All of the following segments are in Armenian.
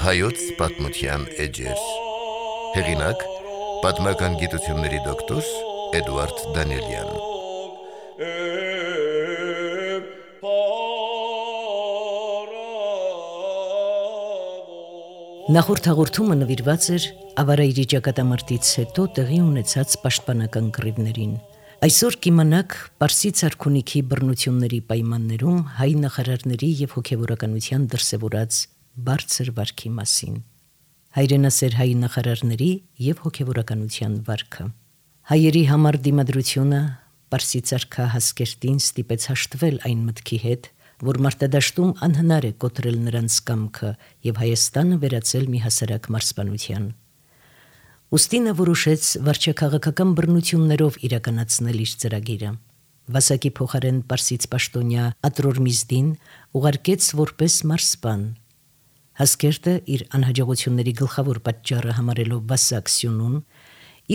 Հայոց պատմության էջեր։ Հեղինակ՝ պատմական գիտությունների դոկտոր Էդուարդ Դանիելյան։ Նախորդ հաղորդումը նվիրված էր ավարայրի ճակատամարտից հետո տեղի ունեցած պաշտպանական կռիվներին։ Այսօր կիմանաք Պարսից արքունիքի բռնությունների պայմաններում հայ նախարարների և հոգևորականության դրսևորած բարձր վարքի մասին։ Հայրենասեր հայ նախարարների և հոգևորականության վարքը։ Հայերի համար դիմադրությունը Պարսից արքա Հասկերտին ստիպեց հաշտվել այն մտքի հետ, որ մարտադաշտում անհնար է կոտրել նրանց կամքը և Հայաստանը վերածել մի հասարակ մարզպանության։ Ուստի նա որոշեց վարչաքաղաքական բռնություններով իրականացնել իր ծրագիրը։ Վասակի փոխարեն պարսից պաշտոնյա Ատրորմիզդին ուղարկեց որպես մարզպան։ Հասկերտը իր անհաջողությունների գլխավոր պատճառը համարելով Վասակ Սյունուն,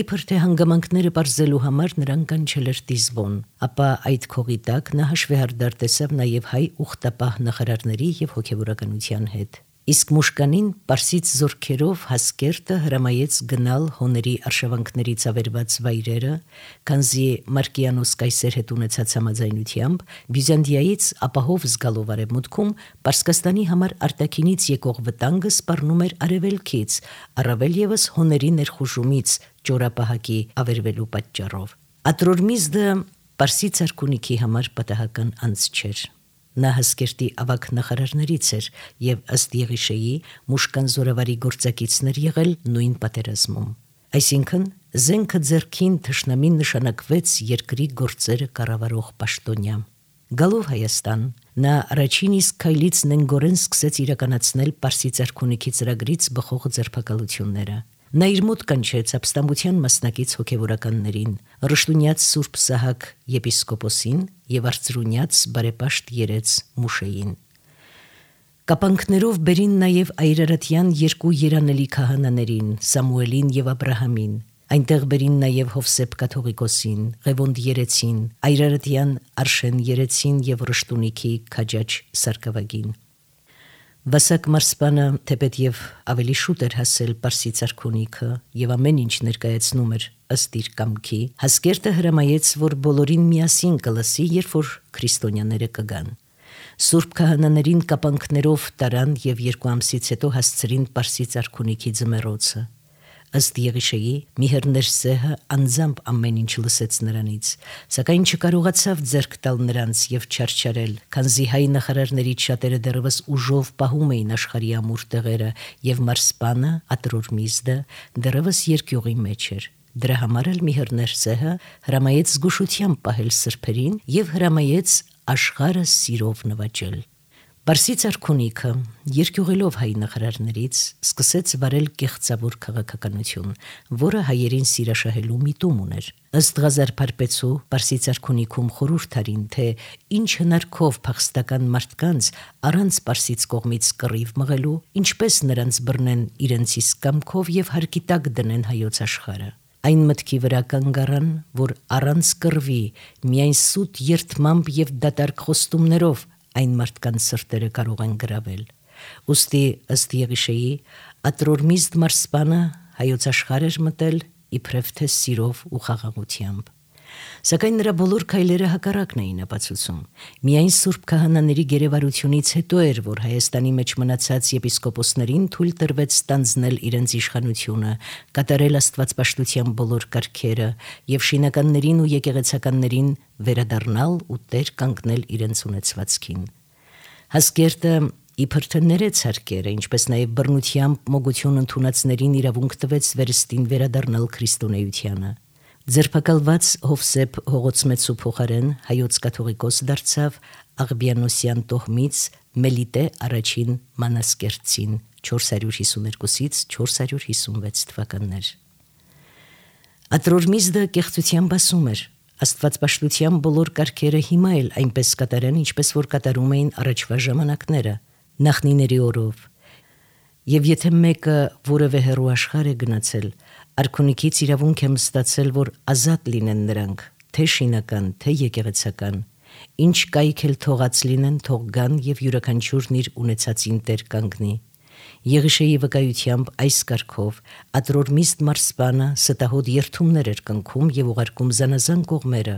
իբր թե հանգամանքները պարզելու համար նրան կանչել էր Տիզբոն, ապա այդ քողի տակ նա հաշվեհարդար տեսավ նաև հայ ուխտապահ նախարարների և հոգևորականության հետ։ Իսկ Մուշկանին պարսից զորքերով Հասկերտը հրամայեց գնալ հոների արշավանքներից ավերված վայրերը, քանզի Մարկիանոս կայսեր հետ ունեցած համաձայնությամբ Բյուզանդիայից ապահով զգալով արևմուտքում Պարսկաստանի համար արտաքինից եկող վտանգը սպառնում էր արևելքից, առավել ևս հոների ներխուժումից ճորապահակի ավերվելու պատճառով։ Ատրորմիզդը Պարսից արքունիքի համար պատահական անձ չէր։ Նա Հասկերտի ավագ նախարարներից էր և ըստ Եղիշեի Մուշկան զորավարի գործակիցներ եղել նույն պատերազմում։ Այսինքն զենքը ձեռքին թշնամին նշանակվեց երկրի գործերը կառավարող պաշտոնյա։ Գալով Հայաստան, նա առաջին իսկ քայլից նենգորեն սկսեց իրականացնել Պարսից արքունիքի ծրագրից բխող ձերբակալությունները։ Նա իր մոտ կանչեց ապստամբության մասնակից հոգևորականներին, Ռշտունյաց Սուրբ Սահակ եպիսկոպոսին և արծրունյաց բարեպաշտ երեց Մուշեին։ Կապանքներով բերին նաև այրարատյան երկու երանելի քահանաներին՝ Սամուելին և Աբրահամին։ Այնտեղ բերին նաև Հովսեփ կաթողիկոսին, Ղևոնդ երեցին, այրարատյան Արշեն երեցին և Ռշտունիքի քաջաջ Սարգսակին։ Վասակ մարզպանը, թեպետև ավելի շուտ էր հասել Պարսից արքունիքը և ամեն ինչ ներկայացնում էր ըստ իր կամքի, Հասկերտը հրամայեց, որ բոլորին միասին կլսի, երբ որ քրիստոնյաները կգան։ Սուրբ քահանաներին կապանքներով տարան և 2 ամսից հետո հասցրին Պարսից արքունիքի ձմեռոցը։ Ըստ Եղիշեի Միհեռներսեհը անձամբ ամեն ինչ լսեց նրանից, սակայն չկարողացավ ձեռք տալ նրանց և չարչարել, քանզի հայ նախարարներից շատերը դեռևս ուժով պահում էին աշխարհի ամուր տեղերը, և մարզպանը Ատրորմիզդը դեռևս երկյուղի մեջ էր։ Դրա համար էլ Միհեռներսեհը հրամայեց զգուշությամբ պահել սրբերին և հրամայեց աշխարհը սիրով նվաճել։ Պարսից արքունիքը, երկյուղելով հայ նախարարներից, սկսեց վարել կեղծավոր քաղաքականություն, որը հայերին սիրաշահելու միտում ուներ։ Ըստ Ղազար Փարպեցու Պարսից արքունիքում խորհուրդ արին, թե ինչ հնարքով փախստական մարդկանց առանց պարսից կողմից կռիվ մղելու, ինչպես նրանց բռնեն իրենց իսկ կամքով և հարկի տակ դնեն հայոց աշխարհը։ Այն մտքի վրա կանգ առան, որ առանց կռվի, միայն սուտ երդմամբ և դատարկ խոստումներով այն մարդկանց սրտերը կարող են գրավել։ Ուստի ըստ Եղիշեի Ատրորմիզդ մարզպանը հայոց աշխարհ էր մտել իբրև թե սիրով ու խաղաղությամբ։ Սակայն նրա բոլոր քայլերը հակառակն էին ապացուցում։ Միայն Սուրբ քահանաների գերեվարությունից հետո էր, որ Հայաստանի մեջ մնացած եպիսկոպոսներին թույլ տրվեց ստանձնել իրենց իշխանությունը, կատարել աստվածպաշտության բոլոր կարգերը և շինականներին ու եկեղեցականներին վերադառնալ ու տեր կանգնել իրենց ունեցվածքին։ Հասկերտը իբր թե ներեց հարկերը, ինչպես նաև բռնությամբ մոգություն ընդունածներին իրավունք տվեց վերստին վերադառնալ քրիստոնեությանը։ Ձերբակալված Հովսեփ Հողոցմեցու փոխարեն հայոց կաթողիկոս դարձավ Աղբյանոսյան տոհմից Մելիտե առաջին Մանասկերտցին 452-ից 456 թվականներ։ Ատրորմիզդը կեղծությամբ ասում էր. Աստվածպաշտության բոլոր կարգերը հիմա էլ այնպես կատարեն, ինչպես որ կատարում էին առաջվա ժամանակները, նախնիների օրով։ Եվ եթե մեկը որևէ հեռու աշխարհ է գնացել, Արքունիքից իրավունք եմ ստացել, որ ազատ լինեն նրանք, թե շինական, թե եկեղեցական, ինչ կայք էլ թողած լինեն, թող գան եւ յուրաքանչյուրն իր ունեցածին տեր կանգնի։ Եղիշեի վկայությամբ այս կարգով Ատրորմիստ մարսպանը ստահոդ երթումներ էր կնքում եւ ուղարկում զանազան կողմերը,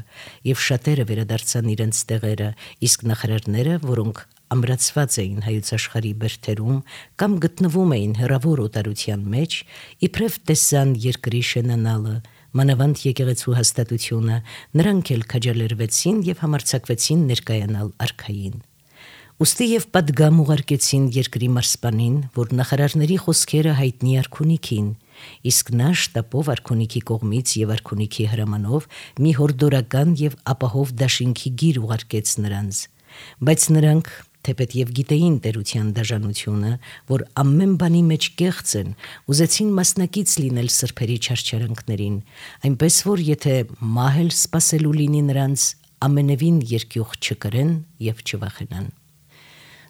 եւ շատերը վերադարձան իրենց տեղերը, իսկ նախարարները, որոնք ամրացված էին հայոց աշխարհի բերթերում կամ գտնվում էին հեռավոր օտարության մեջ, իբրև տեսան երկրի շենանալը, մանավանդ եկեղեցու հաստատությունը, նրանք էլ քաջալերվեցին եւ համարձակվեցին ներկայանալ արքային։ Ուստի եւ պատգամ ուղարկեցին երկրի մարսպանին, որ նախարարների խոսքերը հայտնի արքունիքին, իսկ նա շտապով արքունիքի կողմից եւ արքունիքի հրամանով մի հորդորական եւ ապահով դաշինքի գիր ուղարկեց նրանց, բայց նրանք թեպետ եւ գիտեին տերության դաժանությունը, որ ամեն բանի մեջ կեղծ են, ուզեցին մասնակից լինել սրբերի չարչարանքներին, այնպես որ եթե մահել սпасելու լինի նրանց, ամենևին երկյուղ չկրեն եւ չվախենան։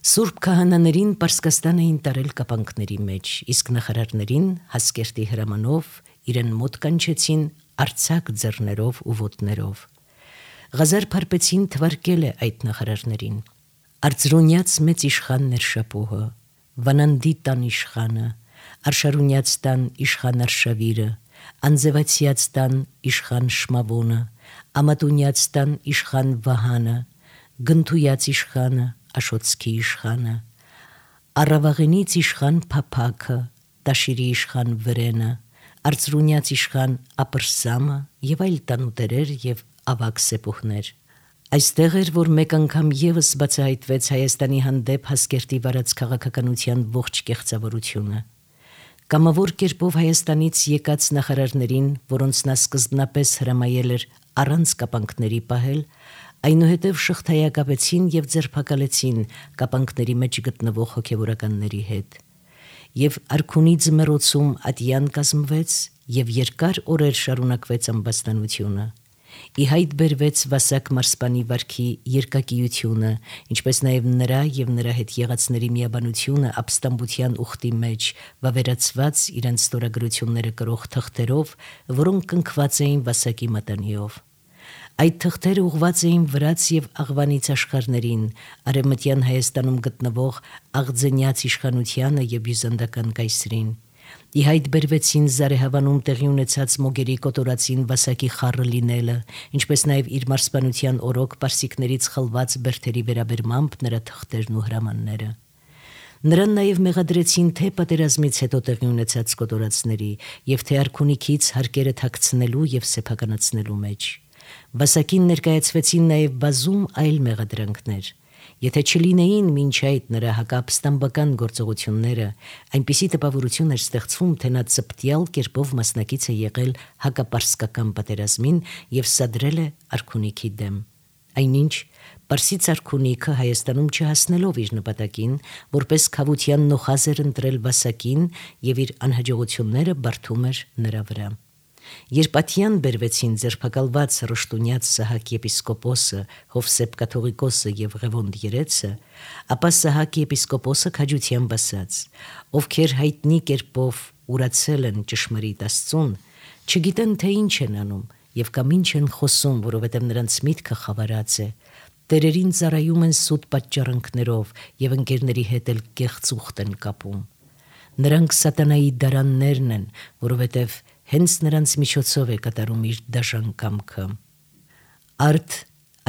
Սուրբ քահանաներին Պարսկաստան էին տարել կապանքների մեջ, իսկ նախարարներին Հասկերտի հրամանով իրեն մոտ կանչեցին արցակ ձեռներով ու ոտներով։ Ղազար Փարպեցին թվարկել է այդ նախարարներին. Արծրունյաց մեծ իշխանն էր Շապուհը, Վանանդի տան իշխանը, Արշարունյաց տան իշխան Արշավիրը, Անձևացյաց տան իշխան Շմավոնը, Ամատունյաց տան իշխան Վահանը, Գնթույաց իշխանը, Աշոտսկի իշխանը, Առավաղենից իշխան Փափաքը, Տաշիրի իշխան Վրենը, Արծրունյաց իշխան Ապրսամը եւ այլ տանուտերեր եւ ավագ սեպուհներ։ Այստեղ էր, որ մեկ անգամ եւս բացահայտվեց Հայաստանի հանդեպ Հասկերտի վարած քաղաքականության ողջ կեղծավորությունը։ Կամավոր կերպով Հայաստանից եկած նախարարներին, որոնց նա սկզբնապես հրամայել էր առանց կապանքների պահել, այնուհետև շղթայակապեցին եւ ձերբակալեցին կապանքների մեջ գտնվող հոգեվորականների հետ։ Եվ արքունի ձմեռոցում ատյան կազմվեց եւ երկար օրեր շարունակվեց ամբաստանությունը։ Ի հայտ բերվեց Վասակ մարսպանի վարքի երկակիությունը, ինչպես նաև նրա եւ նրա հետ եղածների միաբանությունը ապստամբության ուխտի մեջ, վավերացված իրենց ստորագրությունները կրող թղթերով, որոնք կնքված էին Վասակի մատանիով։ Այդ թղթերը ուղված էին վրաց եւ աղվանից աշխարհներին, արևմտյան Հայաստանում գտնվող Աղձենյաց իշխանությանը եւ բյուզանդական կայսրին։ Ի հայտ բերվեցին Զարեհավանում տեղի ունեցած մոգերի կոտորածին Վասակի խառը լինելը, ինչպես նաև իր մարսպանության օրոք պարսիկներից խլված բերթերի վերաբերմամբ նրա թղթերն ու հրամանները։ Նրան նաև մեղադրեցին թե պատերազմից հետո տեղի ունեցած կոտորածների եւ թե արքունիքից հարկերը թաքցնելու եւ սեփականացնելու մեջ։ Վասակին ներկայացվեցին նաև բազում այլ մեղադրանքներ։ Եթե չլինեին մինչ այդ նրա հակապստամբական գործողությունները, այնպիսի տպավորություն էր ստեղծվում, թե նա ծպտյալ կերպով մասնակից է եղել հակապարսկական պատերազմին եւ սադրել է արքունիքի դեմ։ Այնինչ Պարսից արքունիքը Հայաստանում չհասնելով իր նպատակին, որպես քավության նոխազ էր ընտրել Վասակին եւ իր անհաջողությունները բարդում էր նրա վրա։ Երբ ատյան բերվեցին ձերբակալված Ռշտունյաց Սահակ եպիսկոպոսը, Հովսեփ կաթողիկոսը եւ Ղևոնդ երեցը, ապա Սահակ եպիսկոպոսը քաջությամբ ասաց. ովքեր հայտնի կերպով ուրացել են ճշմարիտ Աստծուն, չգիտեն թե ինչ են անում եւ կամ ինչ են խոսում, որովհետեւ նրանց միտքը խավարած է, տերերին ծառայում են սուտ պատճառանքներով եւ ընկերների հետ էլ կեղծ ուխտ են կապում։ Նրանք սատանայի դարաններն են, որովհետեւ հենց նրանց միջոցով է կատարում իր դաժան կամքը։ Արդ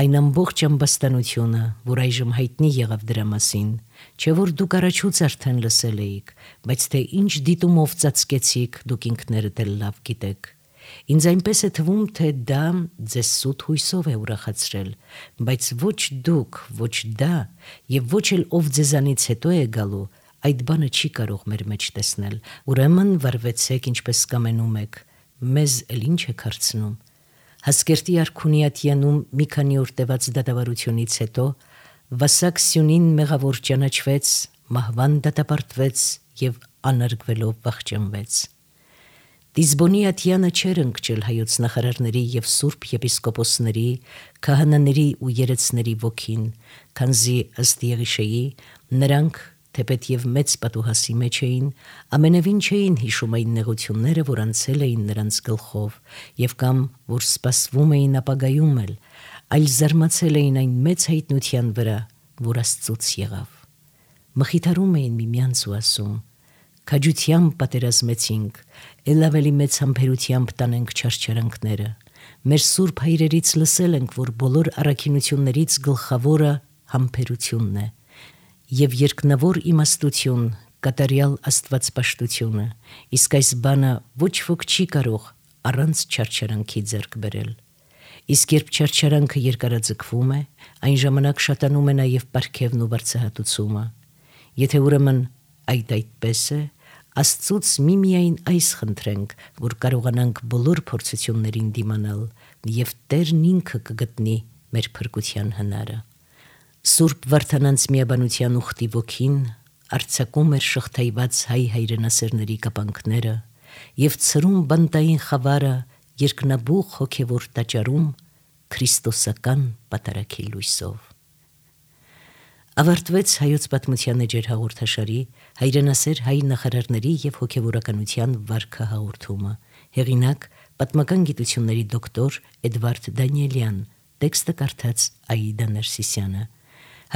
այն ամբողջ ամբաստանությունը, որ այժմ հայտնի եղավ դրա մասին, չէ որ դուք առաջուց արդեն լսել էիք, բայց թե ինչ դիտումով ծածկեցիք, դուք ինքներդ էլ լավ գիտեք։ Ինձ այնպես է թվում, թե դա ձեզ սուտ հույսով է ուրախացրել, բայց ոչ դուք, ոչ դա եւ ոչ էլ ով ձեզանից հետո է գալու, այդ բանը չի կարող մեր մեջ տեսնել, ուրեմն վարվեցեք ինչպես կամենում եք, մեզ էլ ինչ եք հարցնում։ Հասկերտի արքունի ատյանում մի քանի օր տևած դատավարությունից հետո Վասակ Սյունին մեղավոր ճանաչվեց, մահվան դատապարտվեց եւ անարգվելով վախճանվեց։ Դիզբոնի ատյանը չէր ընկճել հայոց նախարարների եւ սուրբ եպիսկոպոսների, քահանաների ու երեցների ոգին, քանզի ըստ Եղիշեի նրանք թեպետև մեծ պատուհասի մեջ էին, ամենևին չէին հիշում այն նեղությունները, որ անցել էին նրանց գլխով, եւ կամ որ սպասվում էին ապագայում էլ, այլ զարմացել էին այն մեծ հայտնության վրա, որ Աստծուց եղավ։ Մխիթարում էին միմյանց ու ասում. «Քաջությամբ պատերազմեցինք, ել ավելի մեծ համբերությամբ տանենք չարչարանքները։ Մեր սուրբ հայրերից լսել ենք, որ բոլոր առաքինություններից գլխավորը համբերությունն է, եւ երկնավոր իմաստություն, կատարյալ աստվածպաշտությունը, իսկ այս բանը ոչ ոք չի կարող առանց չարչարանքի ձեռք բերել։ Իսկ երբ չարչարանքը երկարաձգվում է, այն ժամանակ շատանում է նաև պարգևն ու վարձահատությունը։ Եթե ուրեմն այդպես է, Աստծուց միմիայն այս խնդրենք, որ կարողանանք բոլոր փորձություններին դիմանալ, եւ Տերն ինքը կգտնի մեր փրկության հնարը։ Սուրբ Վարդանանց միաբանության ուխտի ոգին արձակում էր շղթայված հայ հայրենասերների կապանքները եւ ցրում բանտային խավարը երկնաբուխ հոգևոր տաճարում քրիստոսական պատարագի լույսով։ Ավարտվեց հայոց պատմության էջեր հաղորդաշարի հայրենասեր հայ նախարարների եւ հոգևորականության վարքը հաղորդումը։ Հեղինակ պատմական գիտությունների դոկտոր Էդվարդ Դանիելյան, տեքստը կարդաց Աիդա Ներսիսյանը։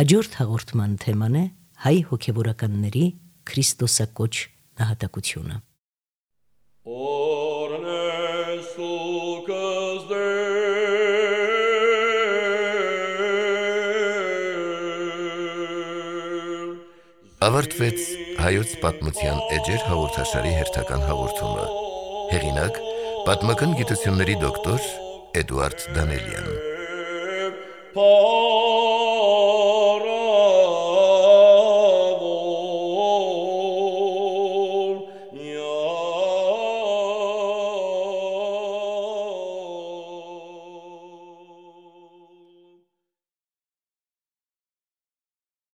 Հաջորդ հաղորդման թեման է հայ հոգևորականների քրիստոսակոչ նահատակությունը։ Ավարտվեց հայոց պատմության էջեր հաղորդաշարի հերթական հաղորդումը։ Հեղինակ պատմական գիտությունների դոկտոր Էդվարդ Դանիելյան։